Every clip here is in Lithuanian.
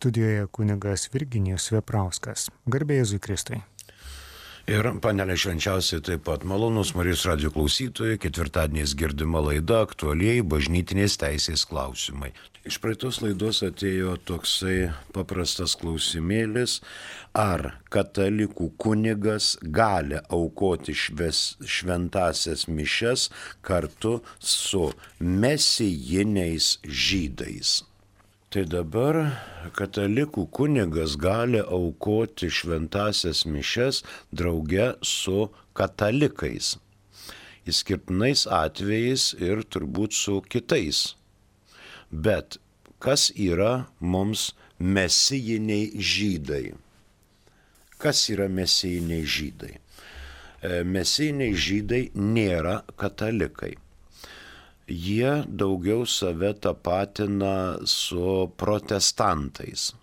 Studijoje kunigas Virginijus Veprauskas. Garbė Jėzui Kristui. Ir panelė švenčiausiai taip pat malonus Marijos radijo klausytojai, ketvirtadieniais girdima laida aktualieji bažnytinės teisės klausimai. Iš praeitos laidos atėjo toksai paprastas klausimėlis, ar katalikų kunigas gali aukoti šventąsias mišias kartu su mesijiniais žydais. Tai dabar katalikų kunigas gali aukoti šventąsias mišias drauge su katalikais, išskirtinais atvejais ir turbūt su kitais. Bet kas yra mums mesijiniai žydai? Kas yra mesijiniai žydai? Mesijiniai žydai nėra katalikai. Jie daugiau save tapatina su protestantais,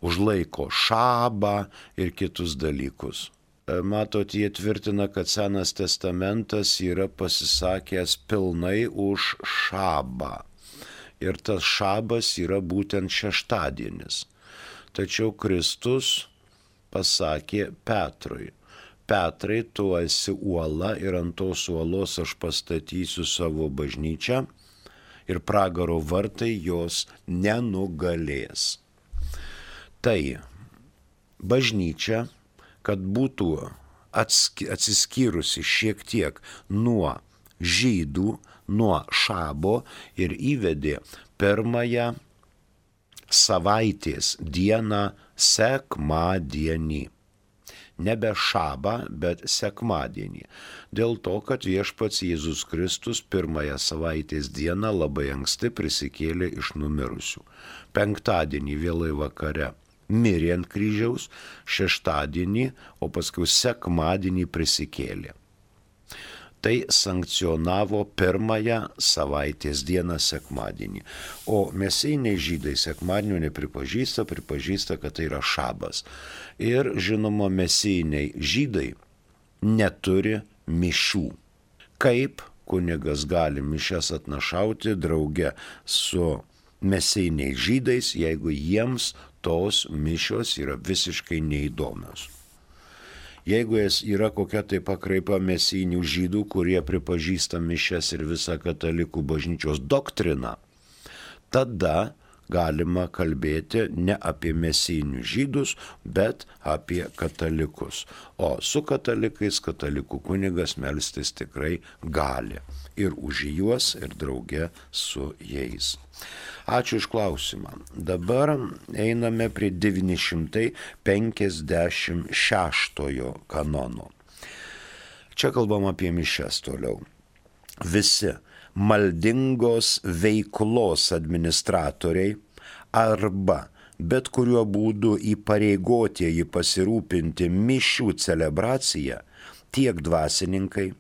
užlaiko šabą ir kitus dalykus. Matot, jie tvirtina, kad Senas testamentas yra pasisakęs pilnai už šabą. Ir tas šabas yra būtent šeštadienis. Tačiau Kristus pasakė Petrui: Petrai, tu esi uola ir ant tos uolos aš pastatysiu savo bažnyčią ir pragaro vartai jos nenugalės. Tai bažnyčia, kad būtų atsiskyrusi šiek tiek nuo žydų, nuo šabo ir įvedė pirmąją savaitės dieną sekmadienį. Nebe šabą, bet sekmadienį. Dėl to, kad viešpats Jėzus Kristus pirmąją savaitės dieną labai anksti prisikėlė iš numirusių. Penktadienį vėlai vakare mirė ant kryžiaus, šeštadienį, o paskui sekmadienį prisikėlė. Tai sankcionavo pirmąją savaitės dieną sekmadienį. O mesijiniai žydai sekmadienio nepripažįsta, pripažįsta, kad tai yra šabas. Ir žinoma, mesijiniai žydai neturi mišių. Kaip kunigas gali mišias atnašauti drauge su mesijiniais žydais, jeigu jiems tos mišios yra visiškai neįdomios? Jeigu yra kokia tai pakraipa mesijinių žydų, kurie pripažįsta mišias ir visą katalikų bažnyčios doktriną, tada galima kalbėti ne apie mesijinius žydus, bet apie katalikus. O su katalikais katalikų kunigas melstis tikrai gali. Ir už juos, ir drauge su jais. Ačiū iš klausimą. Dabar einame prie 956 kanono. Čia kalbam apie mišias toliau. Visi maldingos veiklos administratoriai arba bet kuriuo būdu įpareigotieji pasirūpinti mišių celebraciją, tiek dvasininkai,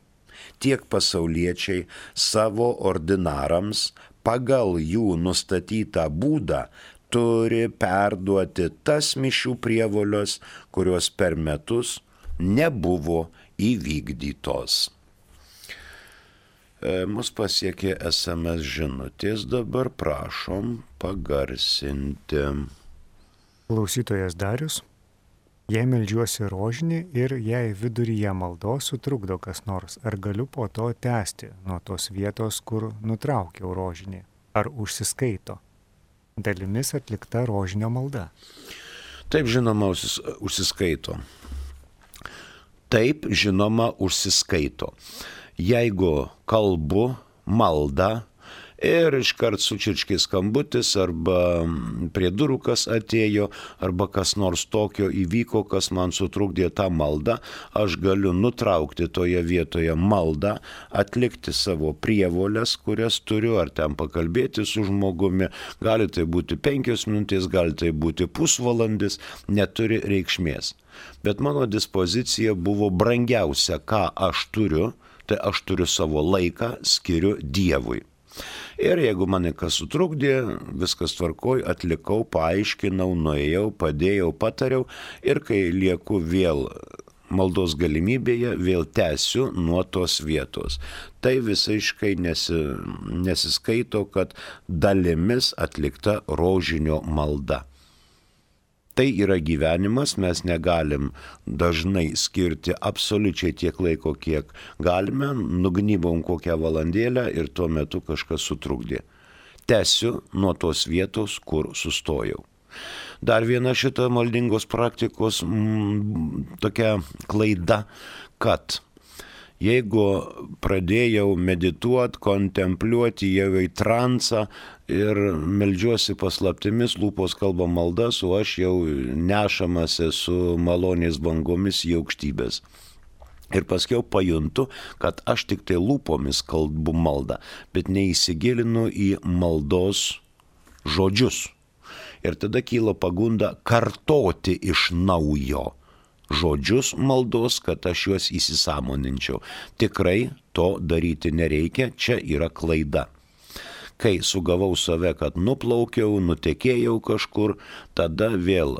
tiek pasauliečiai savo ordinarams pagal jų nustatytą būdą turi perduoti tas mišių prievolios, kurios per metus nebuvo įvykdytos. Mus pasiekė SMS žinutės, dabar prašom pagarsinti. Klausytojas Darius: jei meldžiuosi rožinį ir jei viduryje maldos sutrukdo kas nors, ar galiu po to tęsti nuo tos vietos, kur nutraukiau rožinį? Ar užsiskaito dalimis atlikta rožinio malda? Taip, žinoma, užsiskaito. Taip, žinoma, užsiskaito. Jeigu kalbu maldą ir iškart sučirškė skambutis, arba prie durų kas atėjo, arba kas nors tokio įvyko, kas man sutrukdė tą maldą, aš galiu nutraukti toje vietoje maldą, atlikti savo prievolės, kurias turiu, ar ten pakalbėti su žmogumi, gali tai būti 5 minutės, gali tai būti pusvalandis, neturi reikšmės. Bet mano dispozicija buvo brangiausia, ką aš turiu, tai aš turiu savo laiką, skiriu Dievui. Ir jeigu mane kas sutrukdė, viskas tvarkoj, atlikau, paaiškinau, nuėjau, padėjau, patariau ir kai lieku vėl maldos galimybėje, vėl tęsiu nuo tos vietos. Tai visiškai nesiskaito, kad dalimis atlikta rožinio malda. Tai yra gyvenimas, mes negalim dažnai skirti absoliučiai tiek laiko, kiek galime, nugnybom kokią valandėlę ir tuo metu kažkas sutrukdė. Tęsiu nuo tos vietos, kur sustojau. Dar viena šita maldingos praktikos tokia klaida, kad jeigu pradėjau medituoti, kontempliuoti, jau į transą ir meldžiuosi paslaptimis, lūpos kalba maldas, o aš jau nešamas esu malonės bangomis į aukštybės. Ir paskiau pajuntu, kad aš tik tai lūpomis kalbu maldą, bet neįsigilinu į maldos žodžius. Ir tada kyla pagunda kartoti iš naujo žodžius maldos, kad aš juos įsisąmoninčiau. Tikrai to daryti nereikia, čia yra klaida. Kai sugavau save, kad nuplaukiau, nutekėjau kažkur, tada vėl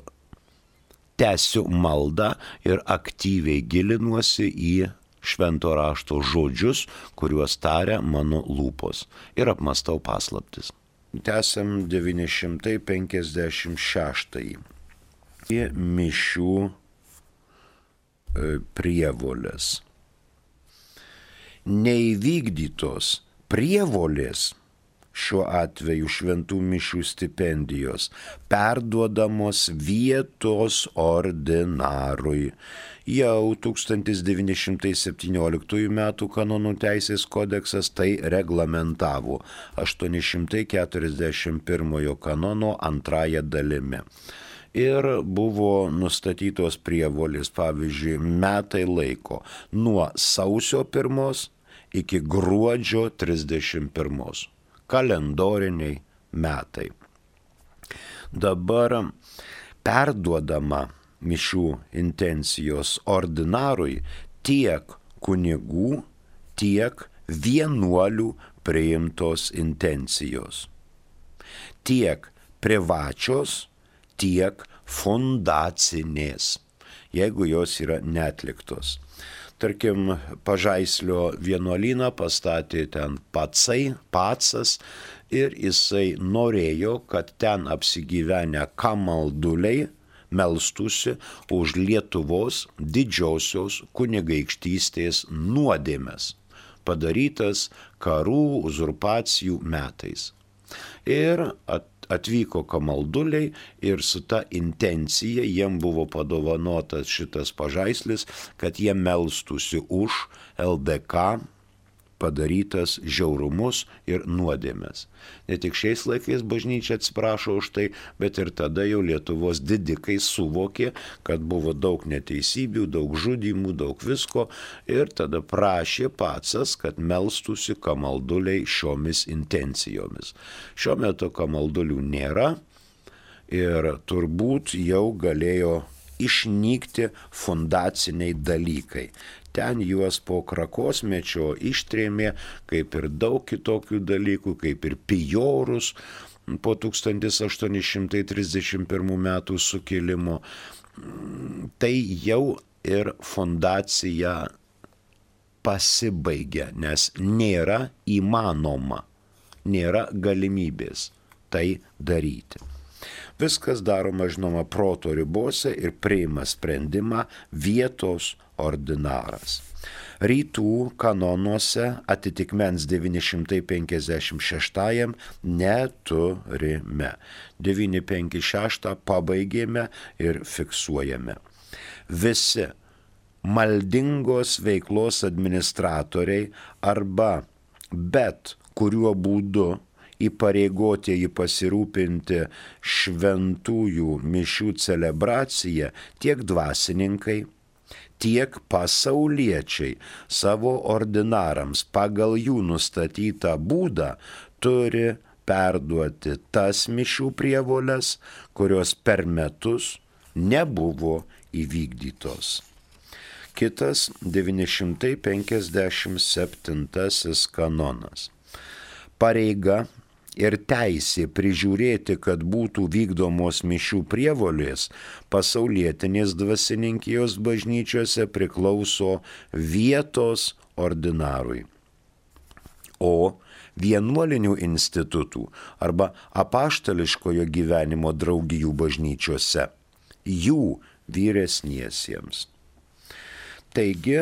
tęsiu maldą ir aktyviai gilinuosi į švento rašto žodžius, kuriuos taria mano lūpos. Ir apmastau paslaptis. Tęsiam 956. Mišių prievolės. Neįvykdytos prievolės, šiuo atveju šventų mišių stipendijos, perduodamos vietos ordinarui. Jau 1917 m. kanonų teisės kodeksas tai reglamentavo 841 kanono antrąją dalimi. Ir buvo nustatytos prievolės, pavyzdžiui, metai laiko nuo sausio 1 iki gruodžio 31. Kalendoriniai metai. Dabar perduodama mišių intencijos ordinarui tiek kunigų, tiek vienuolių priimtos intencijos. Tiek privačios, tiek fundacinės, jeigu jos yra neatliktos. Tarkim, Pažaislio vienuolyną pastatė ten Pacas ir jisai norėjo, kad ten apsigyvenę kamalduliai melstųsi už Lietuvos didžiosios kunigaikštystės nuodėmes, padarytas karų, uzurpacijų metais. Ir atvyko kamalduliai ir su ta intencija jiem buvo padovanotas šitas pažaislis, kad jie melstųsi už LDK padarytas žiaurumus ir nuodėmes. Ne tik šiais laikais bažnyčia atsiprašo už tai, bet ir tada jau Lietuvos didikai suvokė, kad buvo daug neteisybių, daug žudymų, daug visko ir tada prašė Pacas, kad melstųsi kamalduliai šiomis intencijomis. Šiuo metu kamaldulių nėra ir turbūt jau galėjo išnykti fundaciniai dalykai. Ten juos po Krakosmečio ištrėmė, kaip ir daug kitokių dalykų, kaip ir pijorus po 1831 metų sukilimo. Tai jau ir fundacija pasibaigia, nes nėra įmanoma, nėra galimybės tai daryti. Viskas daroma, žinoma, proto ribose ir priima sprendimą vietos ordinaras. Rytų kanonuose atitikmens 956 neturime. 956 pabaigėme ir fiksuojame. Visi maldingos veiklos administratoriai arba bet kuriuo būdu įpareigotieji pasirūpinti šventųjų mišių celebraciją tiek dvasininkai, tiek pasauliečiai savo ordinarams pagal jų nustatytą būdą turi perduoti tas mišių prievoles, kurios per metus nebuvo įvykdytos. Kitas 957 kanonas. Pareiga ir teisė prižiūrėti, kad būtų vykdomos mišių prievolės pasaulietinės dvasininkijos bažnyčiose priklauso vietos ordinarui. O vienuolinių institutų arba apaštališkojo gyvenimo draugijų bažnyčiose jų vyresniesiems. Taigi,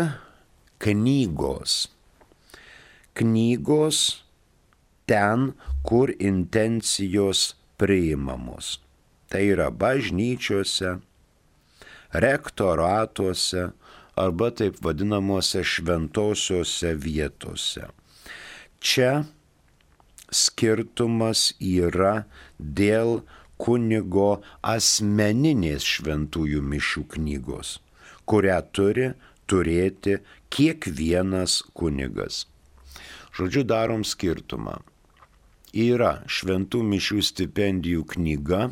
knygos. Knygos ten, kur intencijos priimamos. Tai yra bažnyčiose, rektoratuose arba taip vadinamuose šventosiuose vietose. Čia skirtumas yra dėl kunigo asmeninės šventųjų mišių knygos, kurią turi turėti kiekvienas kunigas. Žodžiu, darom skirtumą. Yra šventų mišių stipendijų knyga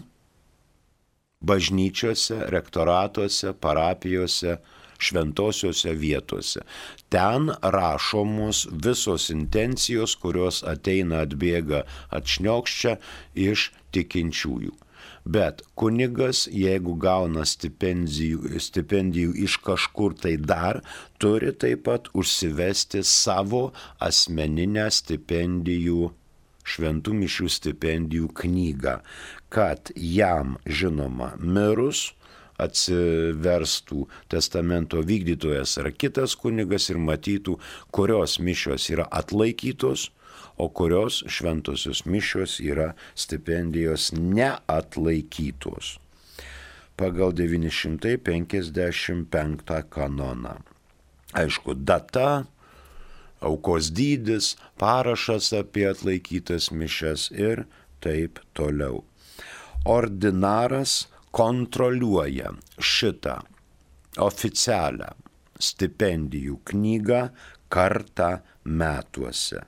bažnyčiose, rektoratuose, parapijose, šventosiuose vietose. Ten rašomos visos intencijos, kurios ateina, atbėga, atšniokščia iš tikinčiųjų. Bet kunigas, jeigu gauna stipendijų iš kažkur tai dar, turi taip pat užsivesti savo asmeninę stipendijų, šventų mišių stipendijų knygą, kad jam, žinoma, mirus atsiverstų testamento vykdytojas ar kitas kunigas ir matytų, kurios mišios yra atlaikytos, o kurios šventosios mišios yra stipendijos neatlaikytos. Pagal 955 kanoną. Aišku, data, aukos dydis, parašas apie atlaikytas mišias ir taip toliau. Ordinaras kontroliuoja šitą oficialią stipendijų knygą kartą metuose.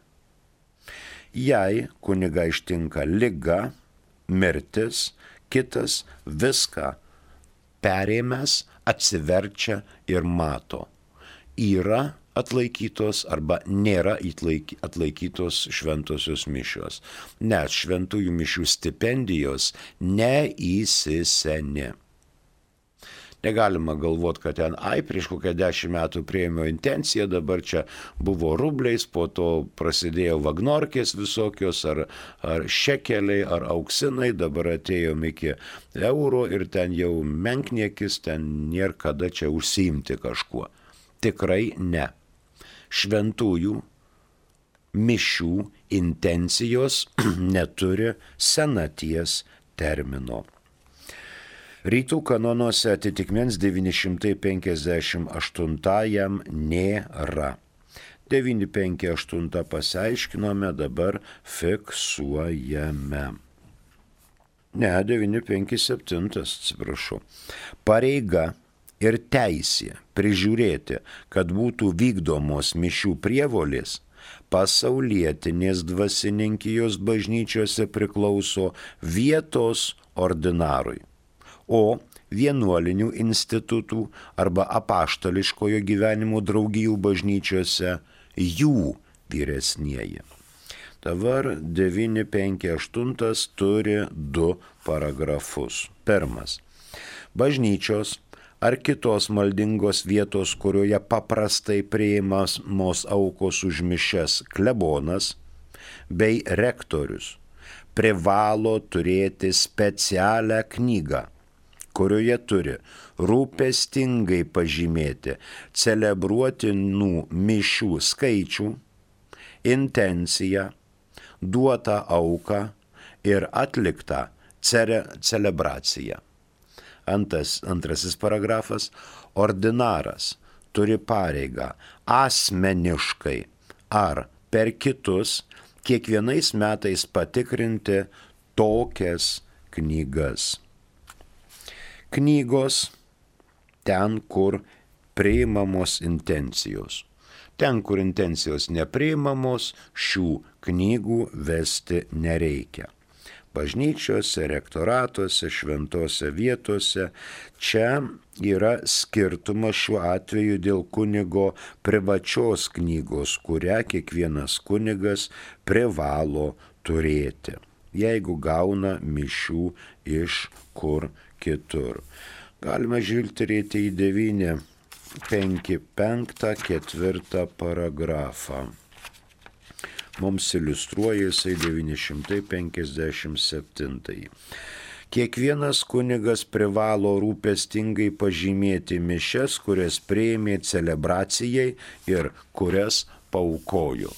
Jei kuniga ištinka liga, mirtis, kitas viską perėmęs atsiverčia ir mato. Yra atlaikytos arba nėra atlaikytos šventosios mišios, nes šventųjų mišių stipendijos neįsiseni. Negalima galvoti, kad ten, prieš kokią 10 metų priėmiau intenciją, dabar čia buvo rubliais, po to prasidėjo vagnorkės visokios, ar šekeliai, ar auksinai, dabar atėjom iki euro ir ten jau menkniekis, ten nėra kada čia užsiimti kažkuo. Tikrai ne. Šventųjų mišių intencijos neturi senaties termino. Rytų kanonuose atitikmens 958 nėra. 958 pasiaiškinome, dabar fiksuojame. Ne, 957, atsiprašau. Pareiga ir teisė prižiūrėti, kad būtų vykdomos mišių prievolės, pasaulietinės dvasininkijos bažnyčiose priklauso vietos ordinarui, o vienuolinių institutų arba apaštališkojo gyvenimo draugijų bažnyčiose jų vyresnieji. Dabar 958 turi 2 paragrafus. Pirmas. Bažnyčios ar kitos maldingos vietos, kurioje paprastai priimamos aukos už mišias klebonas bei rektorius, privalo turėti specialią knygą, kurioje turi rūpestingai pažymėti celebruotinų mišių skaičių, intenciją, duotą auką ir atliktą celebraciją. Antrasis paragrafas. Ordinaras turi pareigą asmeniškai ar per kitus kiekvienais metais patikrinti tokias knygas. Knygos ten, kur priimamos intencijos. Ten, kur intencijos nepriimamos, šių knygų vesti nereikia. Bažnyčiose, rektoratuose, šventose vietose. Čia yra skirtumas šiuo atveju dėl kunigo privačios knygos, kurią kiekvienas kunigas privalo turėti, jeigu gauna mišių iš kur kitur. Galima žvilgterėti į 955 4 paragrafą. Mums iliustruoja jisai 957. Kiekvienas kunigas privalo rūpestingai pažymėti mišias, kurias priėmė celebracijai ir kurias paaukojo.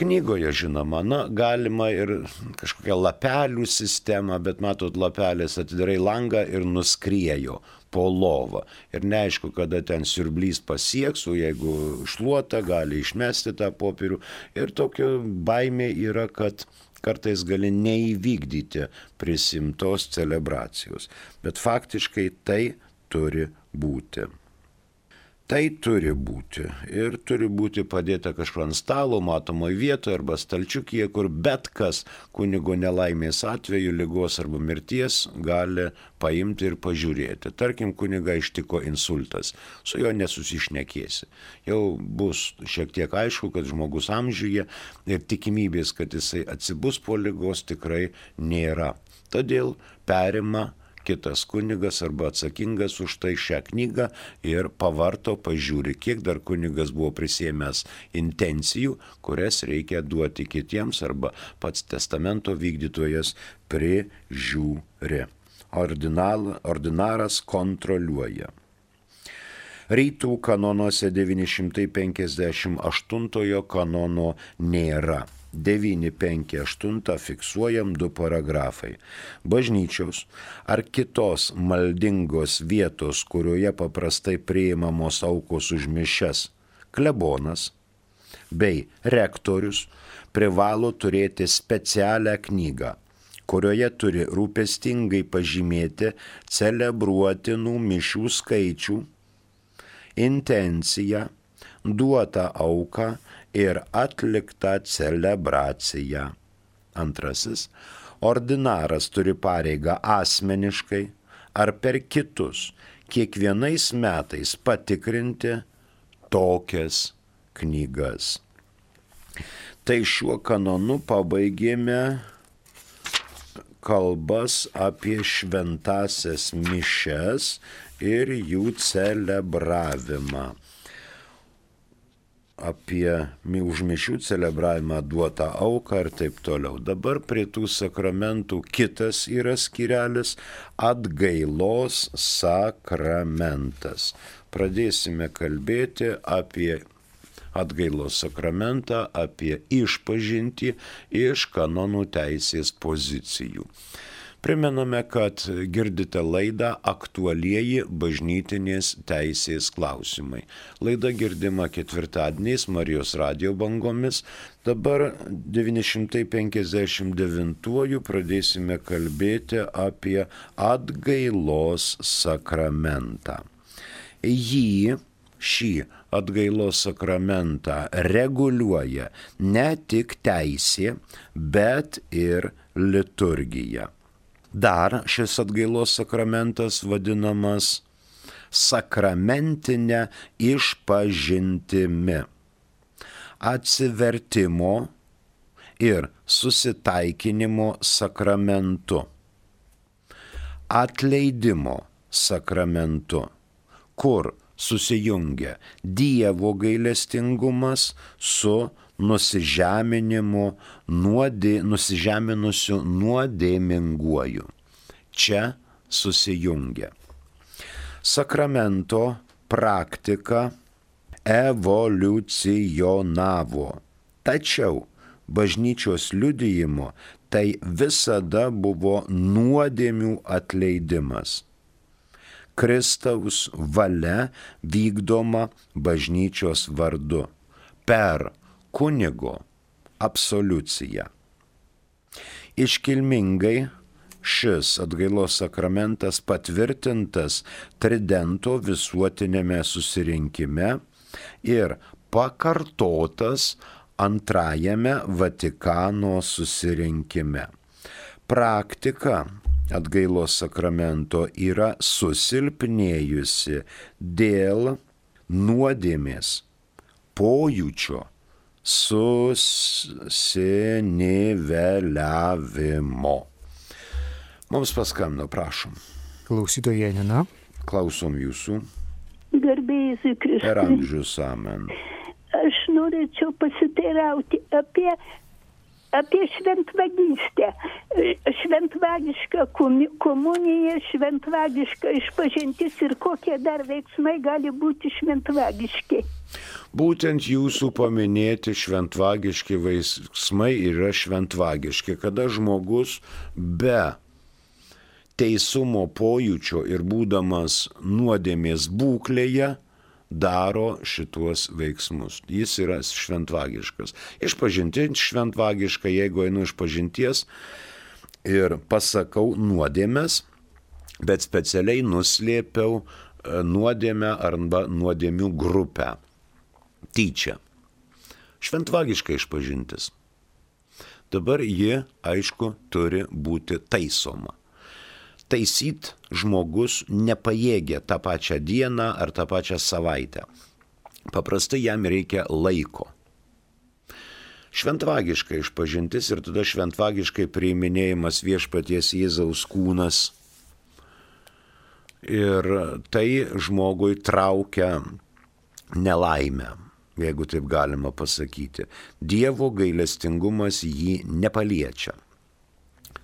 Knygoje, žinoma, galima ir kažkokią lapelių sistemą, bet matot, lapelės atidarai langą ir nuskriejo po lovą. Ir neaišku, kada ten siurblys pasieks, o jeigu šluota, gali išmesti tą popierių. Ir tokia baimė yra, kad kartais gali neįvykdyti prisimtos celebracijos. Bet faktiškai tai turi būti. Tai turi būti. Ir turi būti padėta kažkur ant stalo, matomoje vietoje arba stalčiukyje, kur bet kas kunigo nelaimės atveju, ligos arba mirties gali paimti ir pažiūrėti. Tarkim, kunigą ištiko insultas, su juo nesusišnekėsi. Jau bus šiek tiek aišku, kad žmogus amžiuje ir tikimybės, kad jisai atsibus po ligos, tikrai nėra. Todėl perima kitas kunigas arba atsakingas už tai šią knygą ir pavarto, pažiūri, kiek dar kunigas buvo prisėmęs intencijų, kurias reikia duoti kitiems arba pats testamento vykdytojas prižiūri. Ordinaras kontroliuoja. Rytų kanonuose 958 kanono nėra. 958 fiksuojam 2 paragrafai. Bažnyčios ar kitos maldingos vietos, kurioje paprastai priimamos aukos už mišias, klebonas bei rektorius privalo turėti specialią knygą, kurioje turi rūpestingai pažymėti celebruotinų mišių skaičių, intenciją, duotą auką ir atliktą celebraciją. Antrasis, ordinaras turi pareigą asmeniškai ar per kitus kiekvienais metais patikrinti tokias knygas. Tai šiuo kanonu pabaigėme kalbas apie šventąsias mišias ir jų celebravimą. Apie už mišių celebravimą, duotą auką ir taip toliau. Dabar prie tų sakramentų kitas yra skyrelis - atgailos sakramentas. Pradėsime kalbėti apie atgailos sakramentą, apie išpažintį iš kanonų teisės pozicijų. Primename, kad girdite laidą Aktualieji bažnytinės teisės klausimai. Laida girdima ketvirtadieniais Marijos radijo bangomis. Dabar 959 pradėsime kalbėti apie atgailos sakramentą. Šį atgailos sakramentą reguliuoja ne tik teisė, bet ir liturgija. Dar šis atgailos sakramentas vadinamas sakramentinė išpažintimi, atsivertimo ir susitaikinimo sakramentu, atleidimo sakramentu, kur susijungia Dievo gailestingumas su nusižeminusiu nuodėminguoju. Čia susijungia. Sakramento praktika evoliucionavo. Tačiau bažnyčios liudijimo tai visada buvo nuodėmių atleidimas. Kristaus valia vykdoma bažnyčios vardu per kunigo absoliuciją. Iškilmingai šis atgailos sakramentas patvirtintas Tridento visuotinėme susirinkime ir pakartotas Antrajame Vatikano susirinkime. Praktika atgailos sakramento yra susilpnėjusi dėl nuodėmės pojūčio susiniveliavimo. Mums paskambino, prašom. Klausytoja Janina. Klausom jūsų. Garbėjai Kristui. Per amžius, amen. Aš norėčiau pasiteirauti apie apie šventvagystę. Šventvagiška komunija, šventvagiška išpažintis ir kokie dar veiksmai gali būti šventvagiški. Būtent jūsų paminėti šventvagiški veiksmai yra šventvagiški, kada žmogus be teisumo pojūčio ir būdamas nuodėmės būklėje daro šituos veiksmus. Jis yra šventvagiškas. Išpažintis šventvagiška, jeigu einu išpažinties ir pasakau nuodėmes, bet specialiai nuslėpiau nuodėmę arba nuodėmių grupę. Tyčia. Šventvagiška išpažintis. Dabar ji, aišku, turi būti taisoma. Taisyt žmogus nepajėgia tą pačią dieną ar tą pačią savaitę. Paprastai jam reikia laiko. Šventvagiška išpažintis ir tada šventvagiškai priiminėjimas viešpaties Jėzaus kūnas. Ir tai žmogui traukia nelaimę, jeigu taip galima pasakyti. Dievo gailestingumas jį nepaliečia.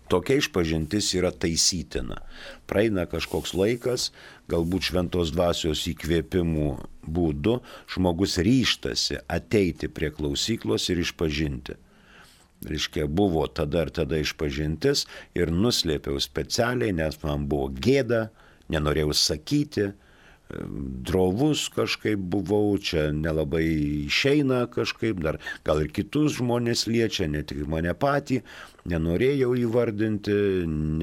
Tokia išpažintis yra taisytina. Praeina kažkoks laikas, galbūt šventos dvasios įkvėpimų būdu, žmogus ryžtasi ateiti prie klausyklos ir išpažinti. Reiškia, buvo tada ir tada išpažintis ir nuslėpiau specialiai, nes man buvo gėda, nenorėjau sakyti, drovus kažkaip buvau, čia nelabai išeina kažkaip, dar gal ir kitus žmonės liečia, ne tik mane patį, nenorėjau įvardinti,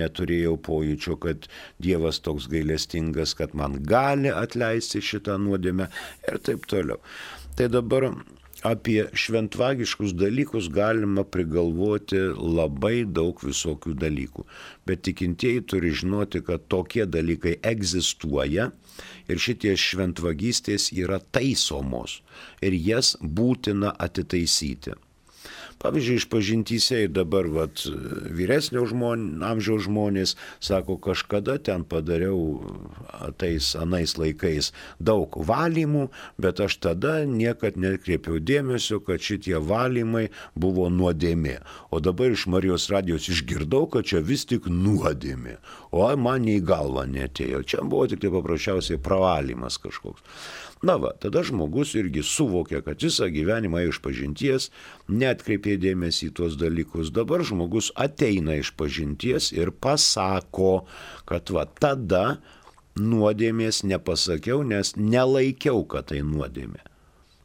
neturėjau pojūčio, kad Dievas toks gailestingas, kad man gali atleisti šitą nuodėmę ir taip toliau. Tai dabar apie šventvagiškus dalykus galima prigalvoti labai daug visokių dalykų, bet tikintieji turi žinoti, kad tokie dalykai egzistuoja ir šitie šventvagystės yra taisomos ir jas būtina atitaisyti. Pavyzdžiui, išpažintyse ir dabar vyresnio amžiaus žmonės sako, kažkada ten padariau anais laikais daug valymų, bet aš tada niekad nekreipiau dėmesio, kad šitie valymai buvo nuodėmė. O dabar iš Marijos radijos išgirdau, kad čia vis tik nuodėmė. O man į galvą netėjo. Čia buvo tik tai paprasčiausiai pravalymas kažkoks. Na va, tada žmogus irgi suvokia, kad visą gyvenimą išpažinties, neatkreipė dėmesį į tuos dalykus. Dabar žmogus ateina išpažinties ir pasako, kad tada nuodėmės nepasakiau, nes nelaikiau, kad tai nuodėmė.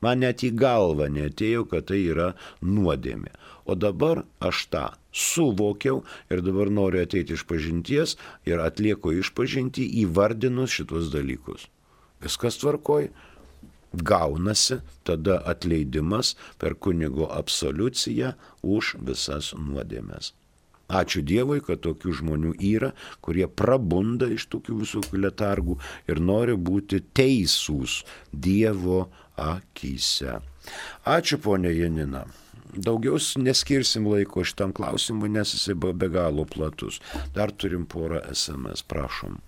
Man net į galvą neatėjo, kad tai yra nuodėmė. O dabar aš tą suvokiau ir dabar noriu ateiti išpažinties ir atlieku išpažintį įvardinus šitos dalykus. Viskas tvarkoj, gaunasi tada atleidimas per kunigo absoliuciją už visas nuodėmes. Ačiū Dievui, kad tokių žmonių yra, kurie prabunda iš tokių visokių letargų ir nori būti teisūs Dievo akyse. Ačiū, ponia Janina. Daugiau neskirsim laiko šitam klausimui, nes jisai be galo platus. Dar turim porą SMS, prašom.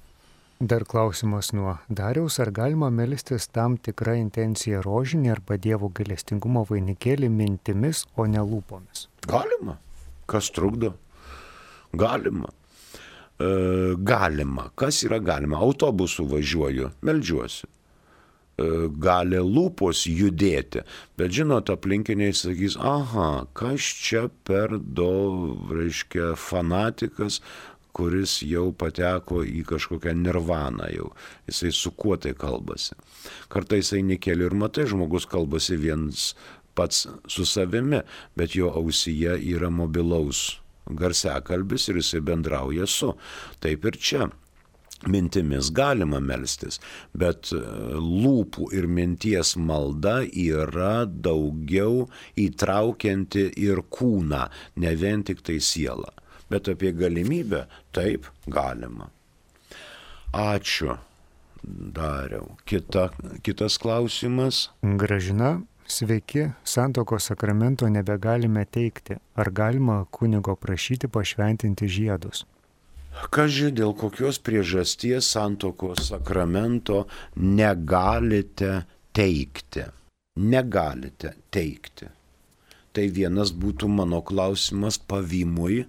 Dar klausimas nuo Dariaus, ar galima melstis tam tikrą intenciją rožinį arba Dievo gailestingumo vainikėlį mintimis, o ne lūpomis? Galima. Kas trukdo? Galima. Galima. Kas yra galima? Autobusu važiuoju, meldžiuosi. Gali lūpos judėti, bet žinot, aplinkiniai sakys, aha, kas čia per fanatikas, kuris jau pateko į kažkokią nirvaną jau. Jisai su kuo tai kalbasi. Kartais eini keliu ir matai, žmogus kalbasi viens pats su savimi, bet jo ausyje yra mobilaus garsiakalbis ir jisai bendrauja su. Taip ir čia. Mintimis galima melstis, bet lūpų ir minties malda yra daugiau įtraukianti ir kūną, ne vien tik tai sielą. Bet apie galimybę taip galima. Ačiū, Dariau. Kitas klausimas. Gražina, sveiki, santuokos sakramento nebegalime teikti. Ar galima kunigo prašyti pašventinti žiedus? Kaži, dėl kokios priežasties santuokos sakramento negalite teikti? Negalite teikti. Tai vienas būtų mano klausimas pavymui,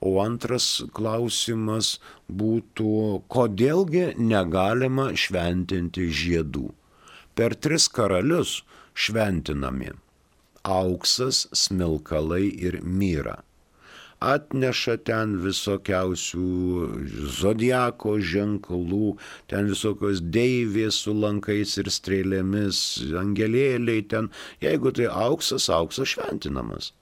o antras klausimas būtų, kodėlgi negalima šventinti žiedų. Per 3 karalius šventinami auksas, smilkalai ir myra. Atneša ten visokiausių zodiako ženklų, ten visokios deivės su lankais ir strėlėmis, angelėliai ten. Jeigu tai auksas, auksas šventinamas.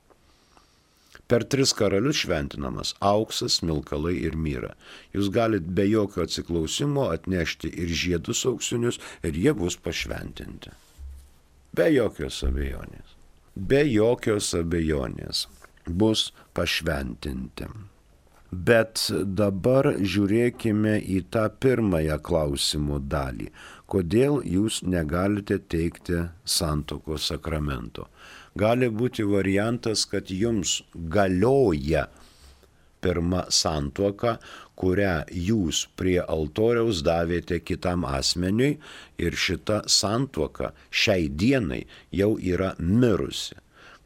Per 3 karalius šventinamas auksas, smilkalai ir myra. Jūs galite be jokio atsiklausimo atnešti ir žiedus auksinius ir jie bus pašventinti. Be jokios abejonės. Be jokios abejonės bus pašventinti. Bet dabar žiūrėkime į tą pirmąją klausimo dalį. Kodėl jūs negalite teikti santuokos sakramento? Gali būti variantas, kad jums galioja pirma santuoka, kurią jūs prie altoriaus davėte kitam asmeniui ir šita santuoka šiai dienai jau yra mirusi.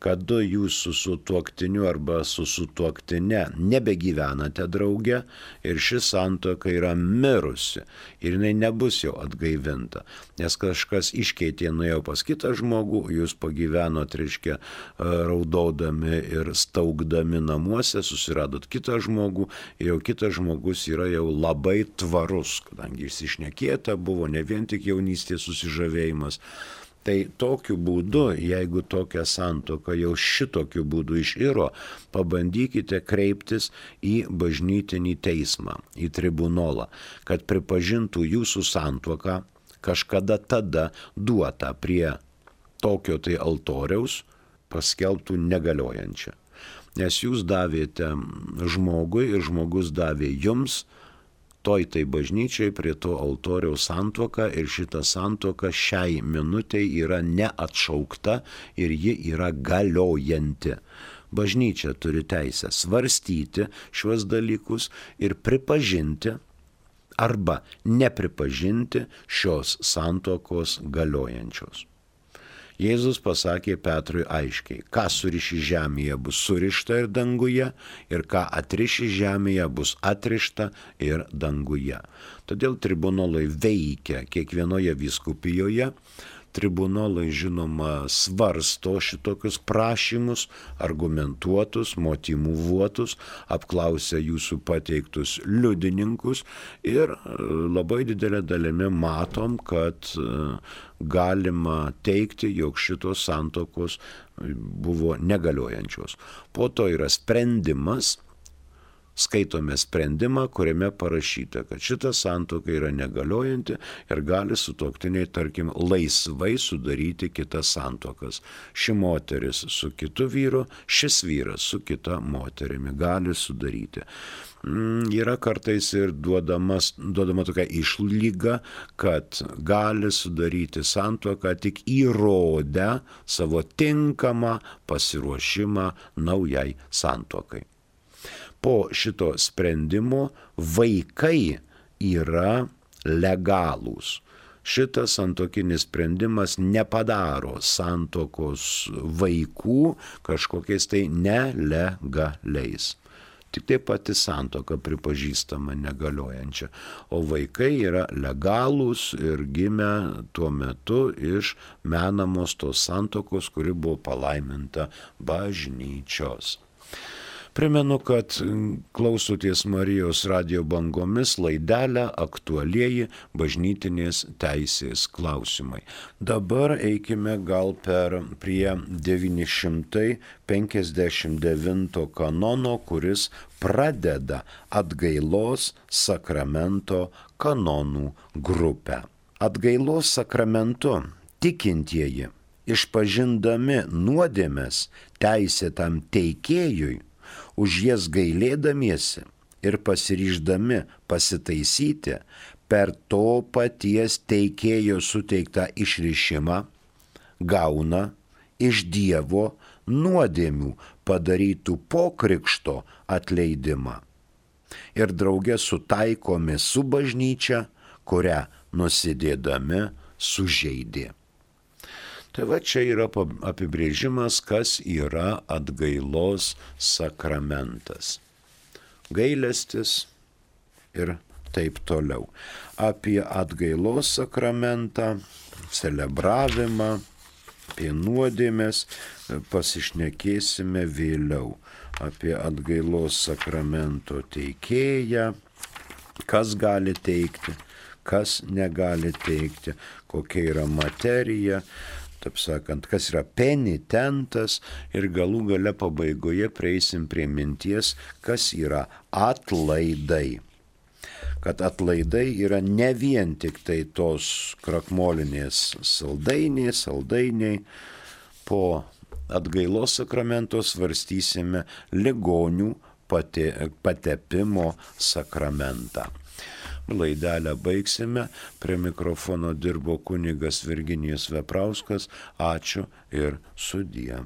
Kada jūs su sutuoktiniu arba su sutuoktine nebegyvenate drauge ir ši santuoka yra mirusi ir jinai nebus jau atgaivinta, nes kažkas iškeitė, nuėjo pas kitą žmogų, jūs pagyvenot, reiškia, raudodami ir staugdami namuose, susiradot kitą žmogų ir jau kitas žmogus yra jau labai tvarus, kadangi išsišnekėta buvo ne vien tik jaunystės susižavėjimas. Tai tokiu būdu, jeigu tokia santuoka jau šitokiu būdu iširo, pabandykite kreiptis į bažnytinį teismą, į tribunolą, kad pripažintų jūsų santuoką kažkada tada duotą prie tokio tai altoriaus, paskelbtų negaliojančią. Nes jūs davėte žmogui ir žmogus davė jums, toj tai bažnyčiai prie to altoriaus santuoka ir šita santuoka šiai minutei yra neatšaukta ir ji yra galiojanti. Bažnyčia turi teisę svarstyti šiuos dalykus ir pripažinti arba nepripažinti šios santuokos galiojančios. Jėzus pasakė Petrui aiškiai, ką suriši žemėje bus surišta ir danguje, ir ką atriši žemėje bus atrišta ir danguje. Todėl tribunolai veikia kiekvienoje vyskupijoje. Tribunolai, žinoma, svarsto šitokius prašymus, argumentuotus, motyvuotus, apklausia jūsų pateiktus liudininkus ir labai didelė dalimi matom, kad galima teikti, jog šitos santuokos buvo negaliojančios. Po to yra sprendimas, skaitome sprendimą, kuriame parašyta, kad šita santuoka yra negaliojanti ir gali sutuoktiniai, tarkim, laisvai sudaryti kitas santuokas. Ši moteris su kitu vyru, šis vyras su kita moterimi gali sudaryti. Yra kartais ir duodama tokia išlyga, kad gali sudaryti santuoką tik įrodę savo tinkamą pasiruošimą naujai santuokai. Po šito sprendimo vaikai yra legalūs. Šitas santuokinis sprendimas nepadaro santuokos vaikų kažkokiais tai nelegaliais. Tik tai pati santuoka pripažįstama negaliojančia, o vaikai yra legalūs ir gimę tuo metu iš menamos tos santuokos, kuri buvo palaiminta bažnyčios. Primenu, kad klausotės Marijos radijo bangomis laidelę aktualieji bažnytinės teisės klausimai. Dabar eikime gal prie 959 kanono, kuris pradeda atgailos sakramento kanonų grupę. Atgailos sakramentu tikintieji, išpažindami nuodėmes teisėtam teikėjui, už jas gailėdamiesi ir pasiryždami pasitaisyti per to paties teikėjo suteiktą išrišimą, gauna iš Dievo nuodėmių padarytų po krikšto atleidimą ir drauge sutaikomi su bažnyčia, kurią nusidėdami sužeidė. Tai va čia yra apibrėžimas, kas yra atgailos sakramentas. Gailestis ir taip toliau. Apie atgailos sakramentą, celebravimą, apie nuodėmes pasišnekėsime vėliau. Apie atgailos sakramento teikėją, kas gali teikti, kas negali teikti, kokia yra materija, taip sakant, kas yra penitentas ir galų gale pabaigoje prieisim prie minties, kas yra atlaidai. Kad atlaidai yra ne vien tik tai tos krakmolinės saldainiai, po atgailos sakramento svarstysime ligonių patepimo sakramentą. Laidelę baigsime. Prie mikrofono dirbo kunigas Virginijus Veprauskas. Ačiū ir sudie.